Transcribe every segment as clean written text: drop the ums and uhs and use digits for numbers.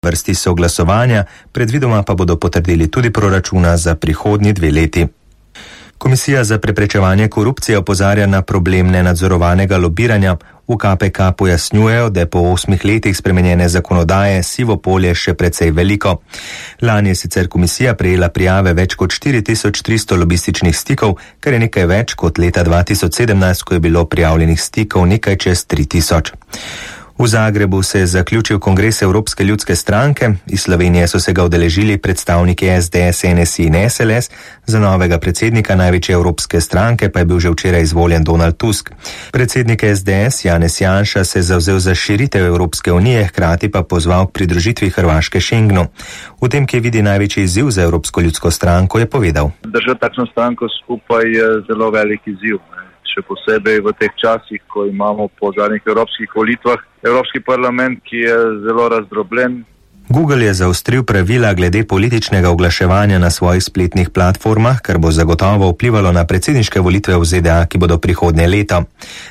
vrsti so glasovanja, predvidoma pa bodo potrdili tudi proračuna za prihodnji 2 leti. Komisija za preprečevanje korupcije opozarja na problem nenadzorovanega lobiranja. V KPK pojasnjujejo, da je po 8 letih spremenjene zakonodaje sivo polje še precej veliko. Lani je sicer komisija prejela prijave več kot 4300 lobističnih stikov, kar je nekaj več kot leta 2017, ko je bilo prijavljenih stikov nekaj čez 3000. V Zagrebu se je zaključil kongres Evropske ljudske stranke. Iz Slovenije so se ga udeležili predstavniki SDS, NSI in SLS. Za novega predsednika največje evropske stranke pa je bil že včeraj izvoljen Donald Tusk. Predsednik SDS Janez Janša se je zavzel za širitev Evropske unije, hkrati pa pozval k pridružitvi Hrvaške Schengenu. V tem, ki vidi največji izziv za Evropsko ljudsko stranko, je povedal: Držati takšno stranko skupaj je zelo velik izziv. Še posebej v teh časih, ko imamo po zadnjih evropskih volitvah Evropski parlament, ki je zelo razdrobljen. Google je zaostril pravila glede političnega oglaševanja na svojih spletnih platformah, kar bo zagotovo vplivalo na predsedniške volitve v ZDA, ki bodo prihodnje leto.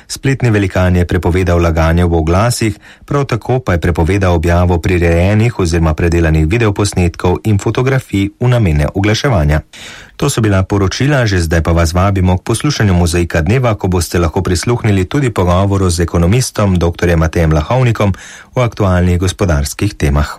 Spletni velikan je prepovedal laganje v oglasih, prav tako pa je prepovedal objavo prirejenih oziroma predelanih videoposnetkov in fotografij v namene oglaševanja. To so bila poročila, že zdaj pa vas vabimo k poslušanju Mozaika dneva, ko boste lahko prisluhnili tudi pogovoru z ekonomistom dr. Matejem Lahovnikom o aktualnih gospodarskih temah.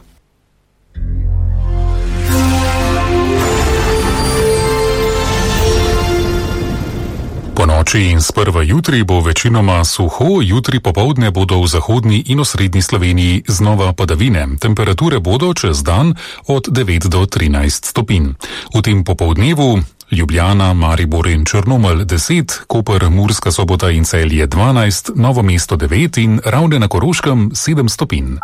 Po noči in sprva jutri bo večinoma suho, jutri popoldne bodo v zahodni in osrednji Sloveniji znova padavine. Temperature bodo čez dan od 9 do 13 stopinj. V tem popoldnevu Ljubljana, Maribor in Črnomelj 10, Koper, Murska Sobota in Celje 12, Novo mesto 9 in Ravne na Koroškem 7 stopinj.